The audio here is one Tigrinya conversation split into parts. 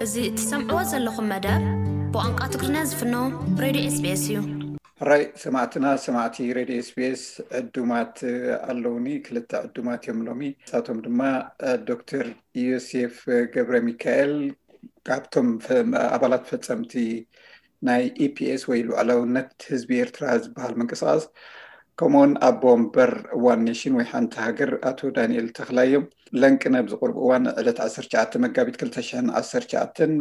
እዚ እትሰምዕዎ ዘለኹም መደብ ብቋንቋ ትግርኛ ዝፍኖ ሬድዮ ኤስቢኤስ እዩ። ሕራይ ሰማዕትና፣ ሰማዕቲ ሬድዮ ኤስቢኤስ ዕዱማት ኣለውኒ። ክልተ ዕዱማት እዮም ሎሚ። ንሳቶም ድማ ዶክተር ዮሴፍ ገብረ ሚካኤል ካብቶም ፈ- ኣባላት ፈጸምቲ ናይ ኢፒኤስ ወይ ልዑላውነት ህዝቢ ኤርትራ ዝበሃል ምንቅስቃስ፣ ከምኡውን ኣቦ ወንበር ዋን ኔሽን ወይ ሓንቲ ሃገር ኣቶ ዳንኤል ተኽላይ እዮም። ለንቅነ ኣብዚ ቁሩብ እዋን ዕለት ዓሰርተ ትሽዓተ መጋቢት ክልተ ሽሕን ዓሰርተ ትሽዓተን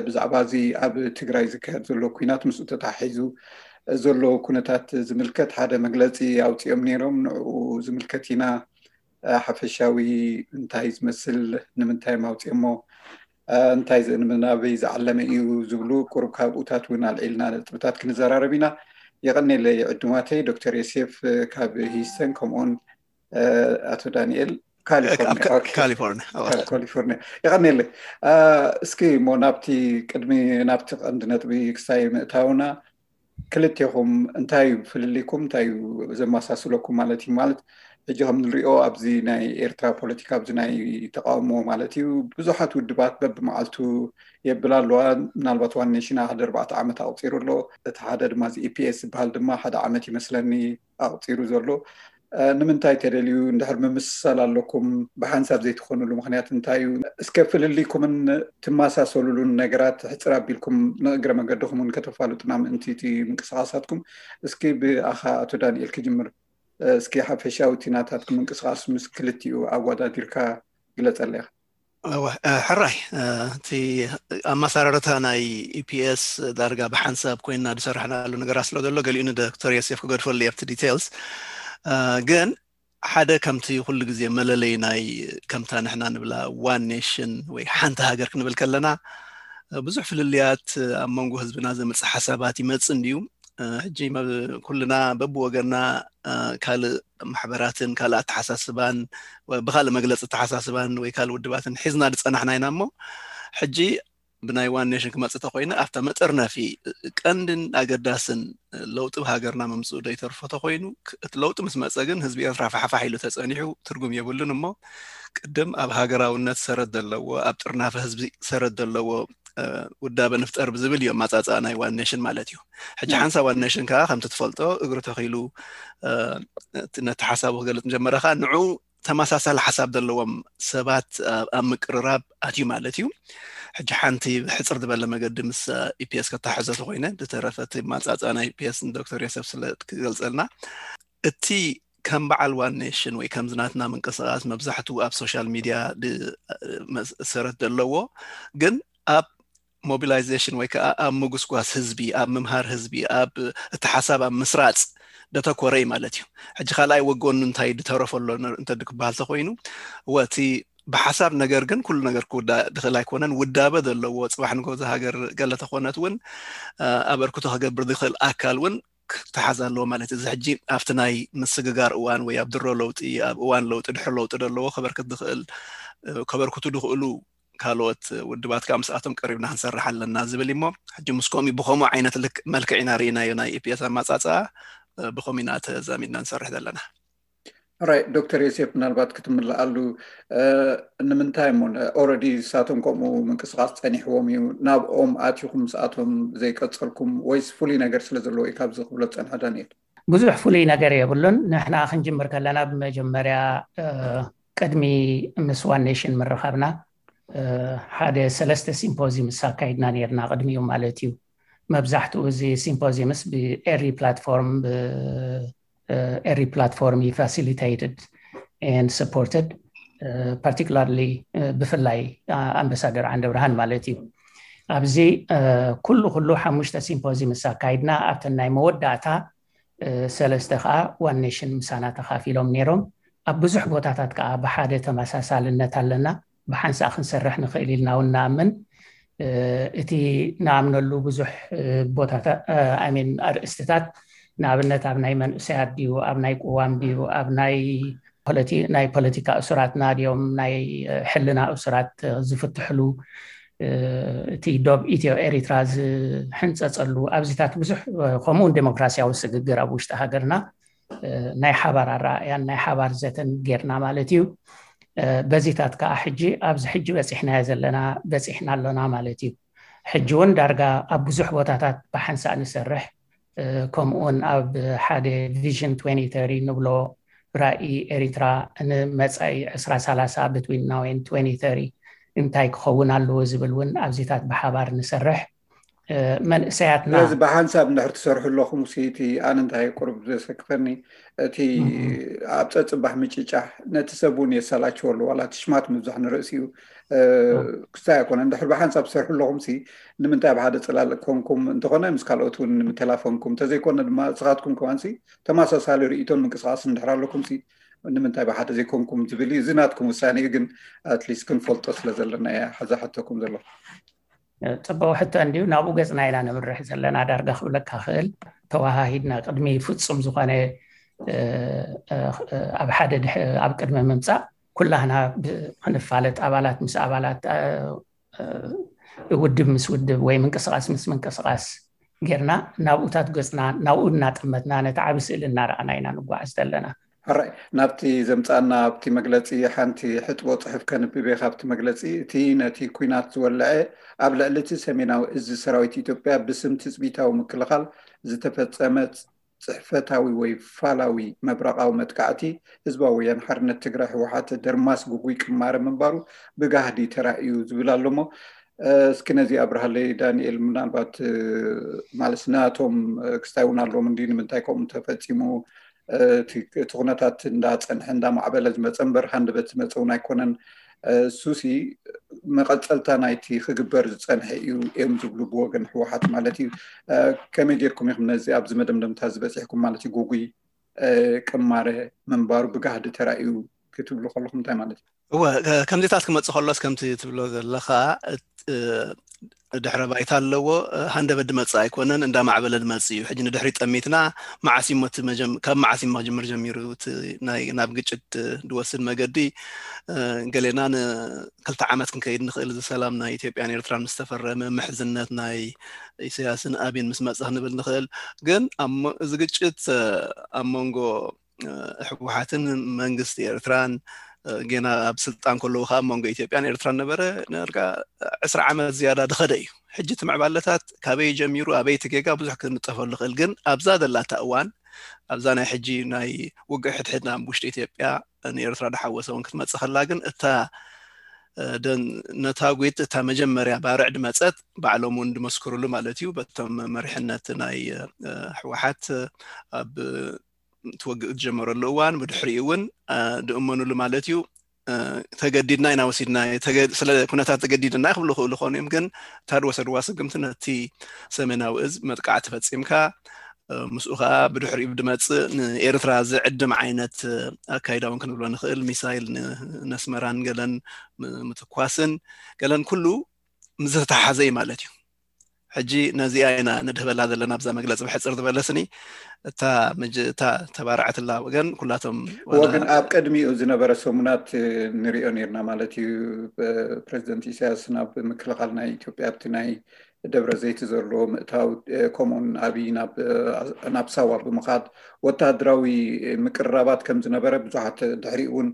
ብዛዕባ እዚ ኣብ ትግራይ ዝካየድ ዘሎ ኲናት ምስኡ ተተሓሒዙ ዘሎ ኩነታት ዝምልከት ሓደ መግለፂ ኣውፂኦም ነይሮም። ንዕኡ ዝምልከት ኢና ሓፈሻዊ እንታይ ዝመስል፣ ንምንታይ እዮም ኣውፂኦሞ፣ እንታይ ዝ- ናበይ ዝዓለመ እዩ ዝብሉ ቁሩብ ካብኡታት እውን ኣልዒልና ነጥብታት ክንዘራረብ ኢና። የቐኔለይ ዕዱማተይ ዶክተር ዮሴፍ ካብ ሂስተን፣ ከምኡውን ኣቶ ዳንኤል ካሊፎርኒያ። ኦኬ። ካሊፎርኒያ። ካብ ካሊፎርኒያ። የቐኔለይ። እስኪ እሞ ናብቲ ቅድሚ ናብቲ ቀንዲ ነጥቢ ክሳይ ምእታውና፣ ክልቴኹም እንታይ እዩ ፍልልይኩም፣ እንታይ እዩ ዘመሳስለኩም ማለት እዩ? ማለት ሕጂ ከም ንሪኦ ኣብዚ ናይ ኤርትራ ፖለቲካ፣ ኣብዚ ናይ ተቃውሞ ማለት እዩ፣ ብዙሓት ውድባት በብመዓልቱ የብል ኣለዋ። ምናልባት ዋን ኔሽን ሓደ ኣርባዕተ ዓመት ኣቁፂሩ ኣሎ። እቲ ሓደ ድማ እዚ ኢፒኤስ ዝበሃል ድማ ሓደ ዓመት ይመስለኒ ኣቁፂሩ ዘሎ። ንምንታይ ተደልዩ? እንድሕር ምምስሳል ኣለኩም ብሓንሳብ ዘይትኾኑሉ ምኽንያት እንታይ እዩ? እስከ ፍልልይኩምን ትመሳሰሉሉን ነገራት ሕፅር ኣቢልኩም ንእግረ መገድኹም እውን ከተፋልጡና ምእንቲ እቲ ምንቅስቃሳትኩም። እስኪ ብኣኻ ኣቶ ዳንኤል ክጅምር። እስኪ ሓፈሻዊ እቲ ናታትኩም ምንቅስቃስ ምስ ክልቲኡ ኣወዳዲርካ ግለፀለይ። ሕራይ፣ እቲ ኣመሰራርታ ናይ ኢፒኤስ ዳርጋ ብሓንሳብ ኮይና ዝሰራሕናሉ ነገራት ስለ ዘሎ ገሊኡ ንዶክተር ዮሴፍ ክገድፈሉ ኣብቲ ዲቴልስ። ግን ሓደ ከምቲ ኩሉ ግዜ መለለይ ናይ ከምታ ንሕና ንብላ ዋን ኔሽን ወይ ሓንቲ ሃገር ክንብል ከለና ብዙሕ ፍልልያት ኣብ መንጎ ህዝብና ዘምፅእ ሓሳባት ይመፅእ እንድዩ። ሕጂ ኩልና በብወገና ካልእ ማሕበራትን ካልእ ኣተሓሳስባን ብካልእ መግለፂ ኣተሓሳስባን ወይ ካልእ ውድባትን ሒዝና ዝፀናሕና ኢና እሞ ሕጂ ብናይ ዋን ኔሽን ክመፅእ ተኮይነ ኣብታ መጠርነፊ ቀንድን ኣገዳስን ለውጢ ብሃገርና መምፅኡ ዶ ይተርፎ ተኮይኑ እቲ ለውጢ ምስ መፀ ግን ህዝቢ ኤርትራ ፋሕፋሕ ኢሉ ተፀኒሑ ትርጉም የብሉን እሞ ቅድም ኣብ ሃገራውነት ሰረት ዘለዎ ኣብ ጥርናፈ ህዝቢ ሰረት ዘለዎ ውዳበ ንፍጠር ብዝብል እዩ ኣማፃፅኣ ናይ ዋን ኔሽን ማለት እዩ። ሕጂ ሓንሳ ዋን ኔሽን ከዓ ከምቲ ትፈልጦ እግሪ ተኪሉ ነቲ ሓሳቡ ክገልፅ ምጀመረ ከዓ ንዑ ተመሳሳሊ ሓሳብ ዘለዎም ሰባት ኣብ ምቅርራብ ኣትዩ ማለት እዩ። ሕጂ ሓንቲ ብሕፅር ዝበለ መገዲ ምስ ኢፒኤስ ከተሓዞ ተኮይነ ዝተረፈ እቲ ኣማፃፅኣ ናይ ኢፒኤስ ንዶክተር ዮሴፍ ስለ ክገልፀልና እቲ ከም በዓል ዋን ኔሽን ወይ ከምዚ ናትና ምንቅስቃስ መብዛሕትኡ ኣብ ሶሻል ሚድያ ሰረት ዘለዎ ግን ኣብ ሞቢላይዜሽን ወይ ከዓ ኣብ ምጉስጓስ ህዝቢ ኣብ ምምሃር ህዝቢ ኣብ እቲ ሓሳብ ኣብ ምስራፅ ደተኮረ እዩ ማለት እዩ። ሕጂ ካልኣይ ወገኑ እንታይ ድተረፈ ኣሎ እንተ ክበሃል ተኮይኑ ወቲ ብሓሳብ ነገር ግን ኩሉ ነገር ክውዳእ ድኽእል ኣይኮነን። ውዳበ ዘለዎ ፅባሕ ንጎ ሃገር ገለ ተኮነት እውን ኣበርክቶ ክገብር ዝኽእል ኣካል እውን ክተሓዝ ኣለዎ ማለት እዩ። እዚ ሕጂ ኣብቲ ናይ ምስግጋር እዋን ወይ ኣብ ድሮ ለውጢ ኣብ እዋን ለውጢ ድሕሪ ለውጢ ዘለዎ ከበርክት ዝኽእል ከበርክቱ ድኽእሉ ካልኦት ውድባት ከዓ ምስኣቶም ቀሪብና ክንሰርሕ ኣለና ዝብል እሞ ሕጂ ምስ ከምኡ ብከምኡ ዓይነት ልክ መልክዕ ኢና ርኢናዮ ናይ ኢፒኤስ ኣማፃፅኣ ብከምኡ ኢና ተዛሚድና ንሰርሕ ዘለና። ራይ ዶክተር ዮሴፍ ምናልባት ክትምልኣሉ ንምንታይ እሞ ኦረዲ ንሳቶም ከምኡ ምንቅስቃስ ፀኒሕዎም እዩ ናብኦም ኣትኹም ምስኣቶም ዘይቀፀልኩም ወይስ ፍሉይ ነገር ስለ ዘለዎ እዩ ካብዚ ክብሎ ዝፀንሐ ዳንኤል? ብዙሕ ፍሉይ ነገር የብሉን። ንሕና ክንጅምር ከለና ብመጀመርያ ቅድሚ ምስ ዋን ኔሽን ምርኻብና ሓደ ሰለስተ ሲምፖዚምስ ኣካይድና ነርና ቅድሚኡ ማለት እዩ። መብዛሕትኡ እዚ ሲምፖዚምስ ብኤሪ ፕላትፎርም ኤሪ ፕላትፎርም facilitated and supported particularly ብፍላይ ኣምበሳደር ዓንደ ብርሃን ማለት እዩ። ኣብዚ ኩሉ ኩሉ ሓሙሽተ ሲምፖዚምስ ኣካይድና ኣብተን ናይ መወዳእታ ሰለስተ ከዓ ዋን ኔሽን ምሳና ተካፊሎም ነይሮም። ኣብ ብዙሕ ቦታታት ከዓ ብሓደ ተመሳሳልነት ኣለና። ብሓንሳእ ክንሰርሕ ንኽእል ኢልና እውን ንኣምን። እቲ ንኣምነሉ ብዙሕ ቦታታት ሚን ኣርእስትታት ንኣብነት ኣብ ናይ መንእሰያት ድዩ ኣብ ናይ ቅዋም ድዩ ኣብ ናይ ናይ ፖለቲካ እሱራትና ድዮም ናይ ሕልና እሱራት ዝፍትሕሉ እቲ ዶብ ኢትዮ ኤሪትራ ዝሕንፀፀሉ ኣብዚታት ብዙሕ ከምኡውን ዴሞክራሲያዊ ስግግር ኣብ ውሽጢ ሃገርና ናይ ሓባር ኣረኣእያን ናይ ሓባር ዘተን ጌርና ማለት እዩ። በዚታት ከዓ ሕጂ ኣብዚ ሕጂ በፂሕናዮ ዘለና በፂሕና ኣሎና ማለት እዩ። ሕጂ እውን ዳርጋ ኣብ ብዙሕ ቦታታት ብሓንሳእ ንሰርሕ። ከምኡውን ኣብ ሓደ ቪዥን ንብሎ ራኢ ኤሪትራ ንመፃኢ ዕስራ ሰላሳ ብትዊን ናው ኤንድ ትወንቲ ተሪ እንታይ ክኸውን ኣለዎ ዝብል እውን ኣብዚታት ብሓባር ንሰርሕ። መንእሰያትና ስለዚ ብሓንሳብ እንድሕር ትሰርሑ ኣለኹም ሲ እቲ ኣነ እንታይ ቁርብ ዘሰክፈኒ እቲ ኣብ ፀፅባሕ ምጭጫሕ ነቲ ሰብ እውን የሰላችወሉ ዋላ ትሽማት ምብዛሕ ንርእሲኡ ክስታይ ኣይኮነ እንድሕር ብሓንሳብ ትሰርሑ ኣለኹም ሲ ንምንታይ ብሓደ ፅላል ኮንኩም እንተኾነ ምስ ካልኦት እውን ምተላፈንኩም እንተዘይኮነ ድማ ስኻትኩም ከማንሲ ተመሳሳሊ ርእይቶን ምንቅስቃስ እንድሕር ኣለኩም ሲ ንምንታይ ብሓደ ዘይኮንኩም ዝብል እዩ እዚ ናትኩም ውሳኔ እዩ ግን ኣትሊስት ክንፈልጦ ስለ ዘለና እያ ሓዛ ሕተኩም ዘለኹ ፅቡቅ ሕቶ እንድዩ ናብኡ ገፅና ኢና ነምርሕ ዘለና ዳርጋ ክብለካ ክእል ተወሃሂድና ቅድሚ ፍፁም ዝኾነ ኣብ ሓደ ኣብ ቅድሚ ምምፃእ ኩላህና ክንፋለጥ ኣባላት ምስ ኣባላት ውድብ ምስ ውድብ ወይ ምንቅስቃስ ምስ ምንቅስቃስ ጌርና ናብኡታት ገፅና ናብኡ እናጠመትና ነቲ ዓብ ስእሊ እናረኣና ኢና ንጓዓዝ ዘለና ሕራይ ናብቲ ዘምፃና ኣብቲ መግለፂ ሓንቲ ሕጥቦ ፅሑፍ ከንብብ እየ ካብቲ መግለፂ እቲ ነቲ ኩናት ዝወለዐ ኣብ ልዕሊ እቲ ሰሜናዊ እዚ ሰራዊት ኢትዮጵያ ብስም ትፅቢታዊ ምክልኻል ዝተፈፀመ ፅሕፈታዊ ወይ ፋላዊ መብረቓዊ መጥቃዕቲ ህዝባዊ ወያን ሓርነት ትግራይ ህወሓት ደርማስ ጉጉይ ቅማረ ምንባሩ ብጋህዲ ተራእዩ ዝብል ኣሎ እሞ እስኪ ነዚ ኣብርሃለይ ዳንኤል ምናልባት ማለት ናቶም ክስታይ እውን ኣለዎም እንዲ ንምንታይ ከምኡ ተፈፂሙ እቲ ኩነታት እንዳፀንሐ እንዳማዕበለ ዝመፀ እምበር ሃንደበት ዝመፀ እውን ኣይኮነን እሱሲ መቐፀልታ ናይቲ ክግበር ዝፀንሐ እዩ እዮም ዝብሉ ብወገን ህወሓት ማለት እዩ ከመይ ጌርኩም ኢኹም ነዚ ኣብዚ መደምደምታ ዝበፂሕኩም ማለት እዩ ጉጉይ ቅማረ ምንባሩ ብጋህዲ ተራእዩ ክትብሉ ከለኹም እንታይ ማለት እዩ እወ ከምዚታት ክመፅእ ከሎስ ከምቲ ትብሎ ዘለኻ ድሕረ ባይታ ኣለዎ ሃንደበት ድመፅእ ኣይኮነን እንዳማዕበለ ድመፅእ እዩ ሕጂ ንድሕሪ ጠሚትና መዓስ እሞ ካብ መዓስ እሞ ክጅምር ጀሚሩ ናብ ግጭት ድወስድ መገዲ ገሌና ንክልተ ዓመት ክንከይድ ንኽእል እዚ ሰላም ናይ ኢትዮጵያን ኤርትራን ምስ ተፈረመ ምሕዝነት ናይ ኢሳያስን ኣብይን ምስ መፀ ክንብል ንኽእል ግን እዚ ግጭት ኣብ መንጎ ህወሓትን መንግስቲ ኤርትራን ጌና ኣብ ስልጣን ከለዉ ከዓ መንጎ ኢትዮጵያን ኤርትራን ነበረ ነርጋ ዕስራ ዓመት ዝያዳ ድኸደ እዩ ሕጂ እቲ ምዕባለታት ካበይ ጀሚሩ ኣበይ እቲ ጌጋ ብዙሕ ክንጠፈሉ ክእል ግን ኣብዛ ዘላታ እዋን ኣብዛ ናይ ሕጂ ናይ ውግእ ሕድሕድ ናብ ውሽጢ ኢትዮጵያ ንኤርትራ ድሓወሰ እውን ክትመፅእ ከላ ግን እታ ነታጒት እታ መጀመርያ ባርዕ ድመፀት ባዕሎም እውን ድመስክሩሉ ማለት እዩ በቶም መሪሕነት ናይ ህወሓት ኣብ ትወግእ ዝጀመረሉ እዋን ብድሕሪኡ እውን ድእመኑሉ ማለት እዩ ተገዲድና ኢና ወሲድና ስለ ኩነታት ተገዲድና ክብሉ ክእሉ ኾኑ እዮም ግን እታ ድወሰድዋ ስግምቲ ነቲ ሰሜናዊ እዝ መጥቃዕቲ ፈፂምካ ምስኡ ከዓ ብድሕሪኡ ድመፅእ ንኤርትራ ዝዕድም ዓይነት ኣካይዳ እውን ክንብሎ ንኽእል ሚሳይል ነስመራን ገለን ምትኳስን ገለን ኩሉ ምስ ዝተተሓሓዘ እዩ ማለት እዩ ሕጂ ነዚኣ ኢና ንድህበላ ዘለና ኣብዛ መግለፂ ብሕፅር ዝበለስኒ እታ እታ ተባርዓትላ ወገን ኩላቶም ወገን ኣብ ቅድሚኡ ዝነበረ ሰሙናት ንሪኦ ነርና ማለት እዩ ፕሬዚደንት ኢሳያስ ናብ ምክልኻል ናይ ኢትዮጵያ ኣብቲ ናይ ደብረ ዘይት ዘሎ ምእታው ከምኡን ኣብይ ናብ ሳዋ ብምኻድ ወታደራዊ ምቅርራባት ከም ዝነበረ ብዙሓት ድሕሪኡ እውን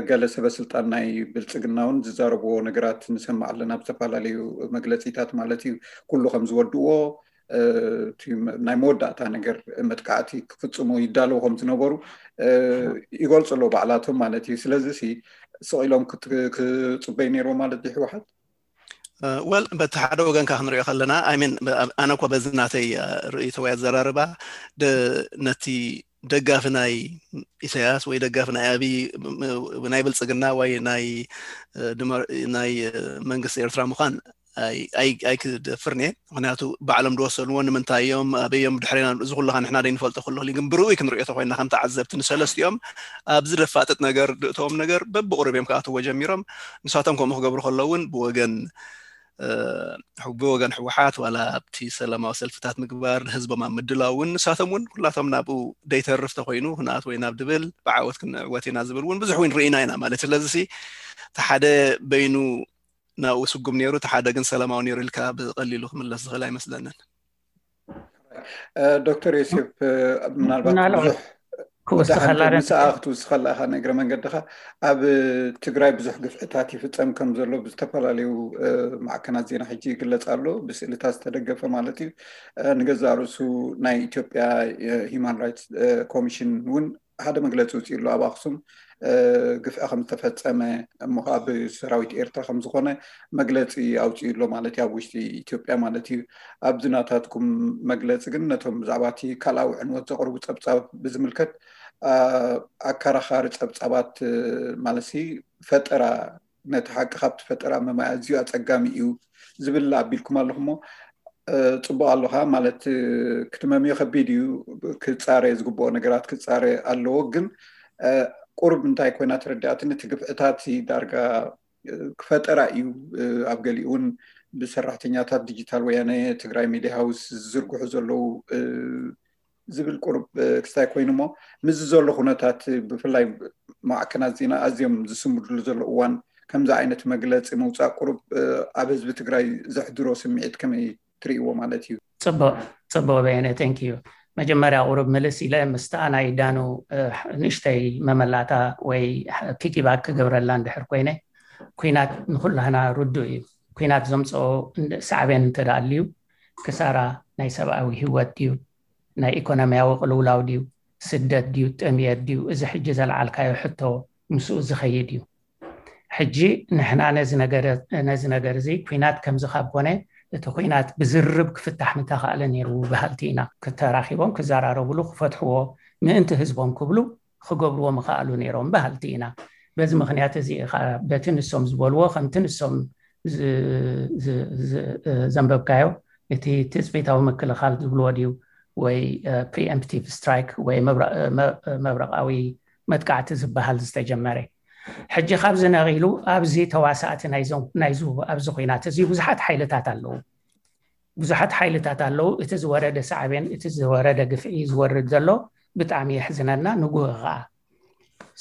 ገለ ሰበ ስልጣን ናይ ብልፅግና እውን ዝዛረብዎ ነገራት ንሰማዕ ኣለና ኣብ ዝተፈላለዩ መግለፂታት ማለት እዩ ኩሉ ከም ዝወድዎ ናይ መወዳእታ ነገር መጥቃዕቲ ክፍፅሙ ይዳለዉ ከም ዝነበሩ ይገልፁ ኣለዉ ባዕላቶም ማለት እዩ ስለዚ ስቕ ኢሎም ክፅበዩ ነይርዎ ማለት እዩ ህወሓት ወል በቲ ሓደ ወገን ካ ክንሪኦ ከለና ኣይሚን ኣነ ኮ በዚ ናተይ ርእይቶ ወይ ኣዘራርባ ነቲ ደጋፊ ናይ ኢሳያስ ወይ ደጋፊ ናይ ኣብይ ናይ ብልፅግና ወይ ናይ ናይ መንግስቲ ኤርትራ ምዃን ኣይክደፍርን እየ ምክንያቱ ባዕሎም ዝወሰንዎ ንምንታይ እዮም ኣበዮም ድሕሬና እዚ ኩሉ ንሕና ደይንፈልጦ ኩሉ ግን ብርኡይ ክንሪኦ ተኮይና ከም ተዓዘብቲ ንሰለስቲኦም ኣብዚ ደፋጥጥ ነገር ድእተዎም ነገር በብቁሩብ እዮም ክኣትዎ ጀሚሮም ንሳቶም ከምኡ ክገብሩ ከለውን ብወገን ብወገን ህወሓት ዋላ ኣብቲ ሰላማዊ ሰልፍታት ምግባር ንህዝቦም ኣብ ምድላው እውን ንሳቶም እውን ኩላቶም ናብኡ ደይተርፍ ተኮይኑ ክንኣት ወይ ናብ ድብል ብዓወት ክንዕወት ኢና ዝብል እውን ብዙሕ እውን ርኢና ኢና ማለት ስለዚ እቲ ሓደ በይኑ ናብኡ ስጉም ነይሩ እቲ ሓደ ግን ሰላማዊ ነይሩ ኢልካ ብቀሊሉ ክምለስ ዝኽእል ኣይመስለንን ዶክተር ዮሴፍ ምናልባት ብዙሕ ክወስኸላ ምሳኣ ክትውስኸላ ኢኻ። ንእግረ መንገድኻ ኣብ ትግራይ ብዙሕ ግፍዕታት ይፍፀም ከም ዘሎ ብዝተፈላለዩ ማዕከናት ዜና ሕጂ ይግለፅ ኣሎ፣ ብስእልታት ዝተደገፈ ማለት እዩ። ንገዛእ ርእሱ ናይ ኢትዮጵያ ሂማን ራይትስ ኮሚሽን እውን ሓደ መግለፂ ውፅኡ ኣሎ ኣብ ኣክሱም ግፍዒ ከም ዝተፈፀመ፣ እሞ ከዓ ብሰራዊት ኤርትራ ከም ዝኾነ መግለፂ ኣውፅኡ ኣሎ ማለት እዩ፣ ኣብ ውሽጢ ኢትዮጵያ ማለት እዩ። ኣብዚ ናታትኩም መግለፂ ግን ነቶም ብዛዕባ እቲ ካልኣዊ ዕንወት ዘቕርቡ ፀብፃብ ብዝምልከት ኣከራኻሪ ፀብፃባት ማለት ፈጠራ፣ ነቲ ሓቂ ካብቲ ፈጠራ ምምያዝ ኣዝዩ ኣፀጋሚ እዩ ዝብል ኣቢልኩም ኣለኹም። ፅቡቕ ኣለኻ ማለት ክትመምዮ ከቢድ እዩ። ክፃረ ዝግብኦ ነገራት ክፃረ ኣለዎ። ግን ቁሩብ እንታይ ኮይና ተረዳእትኒ፣ እቲ ግፍዕታት ዳርጋ ክፈጠራ እዩ። ኣብ ገሊኡ እውን ብሰራሕተኛታት ዲጂታል ወያነ ትግራይ ሚዲያ ሃውስ ዝዝርግሑ ዘለዉ ዝብል ቁሩብ ክስታይ ኮይኑ፣ እሞ ምስዚ ዘሎ ኩነታት ብፍላይ ማዕከናት ዜና ኣዝዮም ዝስምድሉ ዘሎ እዋን ከምዚ ዓይነት መግለፂ ምውፃእ ቁሩብ ኣብ ህዝቢ ትግራይ ዘሕድሮ ስምዒት ከመይ ትርእይዎ ማለት እዩ? ፅቡቅ በየነ፣ thank you። መጀመርያ ቁሩብ ምልስ ኢለ ምስታ ናይ ዳኑ ንእሽተይ መመላታ ወይ ፒኪባክ ክገብረላ እንድሕር ኮይነ፣ ኩናት ንኩላህና ርዱእ እዩ። ኩናት ዘምፅኦ ሳዕቤን እንተደኣ ኣልዩ ክሳራ ናይ ሰብኣዊ ህይወት ድዩ፣ ናይ ኢኮኖሚያዊ ቅልውላው ድዩ፣ ስደት ድዩ፣ ጥምየት ድዩ፣ እዚ ሕጂ ዘልዓልካዮ ሕቶ ምስኡ ዝኸይድ እዩ። ሕጂ ንሕና ነዚ ነገር እዚ ኩናት ከምዚ ካብ ኮነ እቲ ኩናት ብዝርብ ክፍታሕ ምተኻእለ ነይሩ በሃልቲ ኢና። ክተራኺቦም ክዘራረብሉ ክፈትሕዎ ምእንቲ ህዝቦም ክብሉ ክገብርዎ ምኸኣሉ ነይሮም በሃልቲ ኢና። በዚ ምኽንያት እዚ በቲ ንሶም ዝበልዎ ከምቲ ንሶም ዘንበብካዮ እቲ ትፅቢታዊ ምክልኻል ዝብልዎ ድዩ ወይ preemptive strike ወይ መብረቃዊ መጥቃዕቲ ዝበሃል ዝተጀመረ። ሕጂ ካብዚ ነቒሉ ኣብዚ ተዋሳእቲ ናይዚ ኣብዚ ኩናት እዚ ብዙሓት ሓይልታት ኣለዉ። ብዙሓት ሓይልታት ኣለዉ። እቲ ዝወረደ ሳዕቤን፣ እቲ ዝወረደ ግፍዒ ዝወርድ ዘሎ ብጣዕሚ የሕዝነና። ንጉህ ከዓ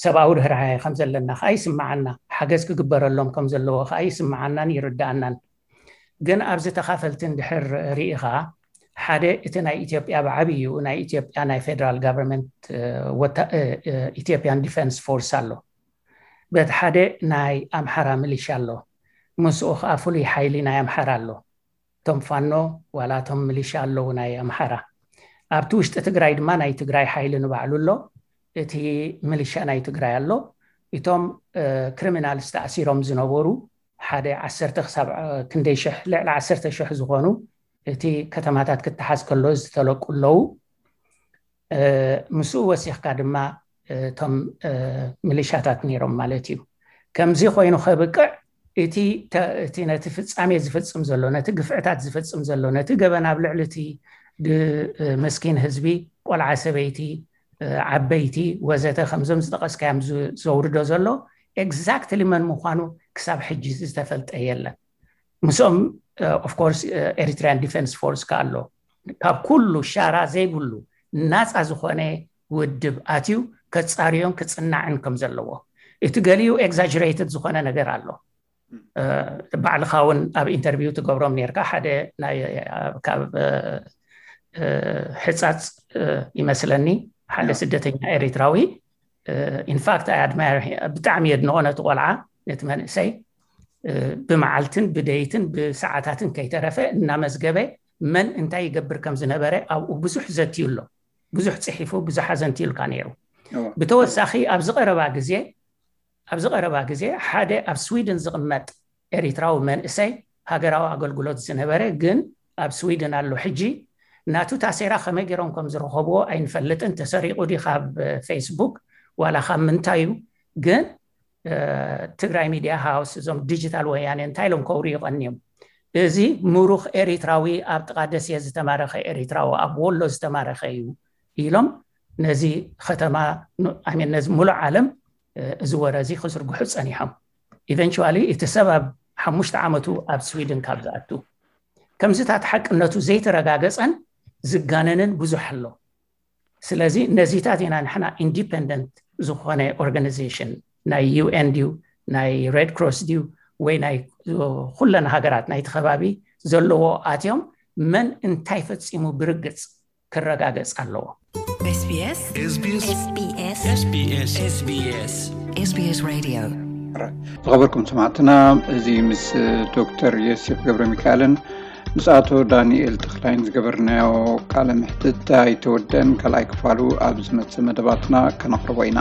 ሰብኣዊ ርህራሄ ከም ዘለና ከዓ ይስምዓና። ሓገዝ ክግበረሎም ከም ዘለዎ ከዓ ይስምዓናን ይርድኣናን። ግን ኣብዚ ተኻፈልቲ እንድሕር ርኢኻ፣ ሓደ እቲ ናይ ኢትዮጵያ ብዓብዩ ናይ ኢትዮጵያ ናይ ፌደራል ጋቨርንመንት ኢትዮጵያን ዲፈንስ ፎርስ ኣሎ። በቲ ሓደ ናይ ኣምሓራ ሚሊሻ ኣሎ። ምስኡ ከዓ ፍሉይ ሓይሊ ናይ ኣምሓራ ኣሎ። እቶም ፋኖ ዋላ እቶም ሚሊሻ ኣለዉ ናይ ኣምሓራ። ኣብቲ ውሽጢ ትግራይ ድማ ናይ ትግራይ ሓይሊ ንባዕሉ ኣሎ። እቲ ሚሊሻ ናይ ትግራይ ኣሎ። እቶም ክሪሚናልስ ተኣሲሮም ዝነበሩ ሓደ ዓሰርተ ክሳብ ክንደይ ሽሕ፣ ልዕሊ ዓሰርተ ሽሕ ዝኾኑ እቲ ከተማታት ክተሓዝ ከሎ ዝተለቁ ኣለዉ። ምስኡ ወሲኽካ ድማ እቶም ሚሊሻታት ነይሮም ማለት እዩ። ከምዚ ኮይኑ ከብቅዕ እቲ ነቲ ፍጻሜ ዝፍጽም ዘሎ፣ ነቲ ግፍዕታት ዝፍጽም ዘሎ፣ ነቲ ገበን ኣብ ልዕሊ እቲ መስኪን ህዝቢ፣ ቆልዓ፣ ሰበይቲ፣ ዓበይቲ ወዘተ ከምዞም ዝጠቐስካዮም ዘውርዶ ዘሎ ኤግዛክትሊ መን ምዃኑ ክሳብ ሕጂ ዝተፈልጠ የለን። ምስኦም ኦፍኮርስ ኤሪትሪያን ዲፈንስ ፎርስ ከ ኣሎ። ካብ ኩሉ ሻራ ዘይብሉ ናፃ ዝኾነ ውድብ ኣትዩ ከፃርዮን ክፅናዕን ከም ዘለዎ። እቲ ገሊኡ ኤግዛጅሬትድ ዝኾነ ነገር ኣሎ። ባዕልኻ እውን ኣብ ኢንተርቪው ትገብሮም ነርካ። ሓደ ካብ ሕፃፅ ይመስለኒ ሓደ ስደተኛ ኤሪትራዊ ኢንፋክት ኣይ ኣድማየር ብጣዕሚ የድንቆ ነቲ ቆልዓ ነቲ መንእሰይ ብመዓልትን ብደይትን ብሰዓታትን ከይተረፈ እናመዝገበ መን እንታይ ይገብር ከም ዝነበረ ኣብኡ ብዙሕ ዘትዩ ኣሎ። ብዙሕ ፅሒፉ ብዙሕ ኣዘንትዩልካ ነይሩ። ብተወሳኺ ኣብዚ ቀረባ ግዜ ኣብዚ ቀረባ ግዜ ሓደ ኣብ ስዊድን ዝቕመጥ ኤሪትራዊ መንእሰይ ሃገራዊ ኣገልግሎት ዝነበረ ግን ኣብ ስዊድን ኣሎ ሕጂ። ናቱ ታሴራ ከመይ ገይሮም ከም ዝረኸብዎ ኣይንፈልጥን። ተሰሪቑ ድዩ ካብ ፌስቡክ ዋላ ካብ ምንታይ እዩ? ግን ትግራይ ሚድያ ሃውስ እዞም ዲጂታል ወያኔ እንታይ ኢሎም ከውርዩ ቀንዮም? እዚ ምሩኽ ኤሪትራዊ ኣብ ጥቓ ደሴ ዝተማረኸ ኤሪትራዊ ኣብ ወሎ ዝተማረኸ እዩ ኢሎም ነዚ ከተማ ነዚ ሙሉእ ዓለም እዚ ወረ እዚ ክዝርግሑ ፀኒሖም። ኢቨንቹዋሊ እቲ ሰብ ኣብ ሓሙሽተ ዓመቱ ኣብ ስዊድን ካብ ዝኣቱ ከምዚታት ሓቅነቱ ዘይተረጋገፀን ዝጋነንን ብዙሕ ኣሎ። ስለዚ ነዚታት ኢና ንሕና ኢንዲፐንደንት ዝኾነ ኦርጋናይዜሽን ናይ ዩኤን ድዩ ናይ ሬድ ክሮስ ድዩ ወይ ናይ ኩለን ሃገራት ናይቲ ከባቢ ዘለዎ ኣትዮም መን እንታይ ፈፂሙ ብርግፅ ክረጋገፅ ኣለዎ። SBS SBS SBS SBS SBS SBS Radio. ዝኸበርኩም ሰማዕትና፣ እዚ ምስ ዶክተር ዮሴፍ ገብረ ሚካኤልን ምስ ኣቶ ዳንኤል ተኽላይን ዝገበርናዮ ቃለ ምሕትት ኣይተወደን። ካልኣይ ክፋሉ ኣብ ዝመጽእ መደባትና ከነቕርቦ ኢና።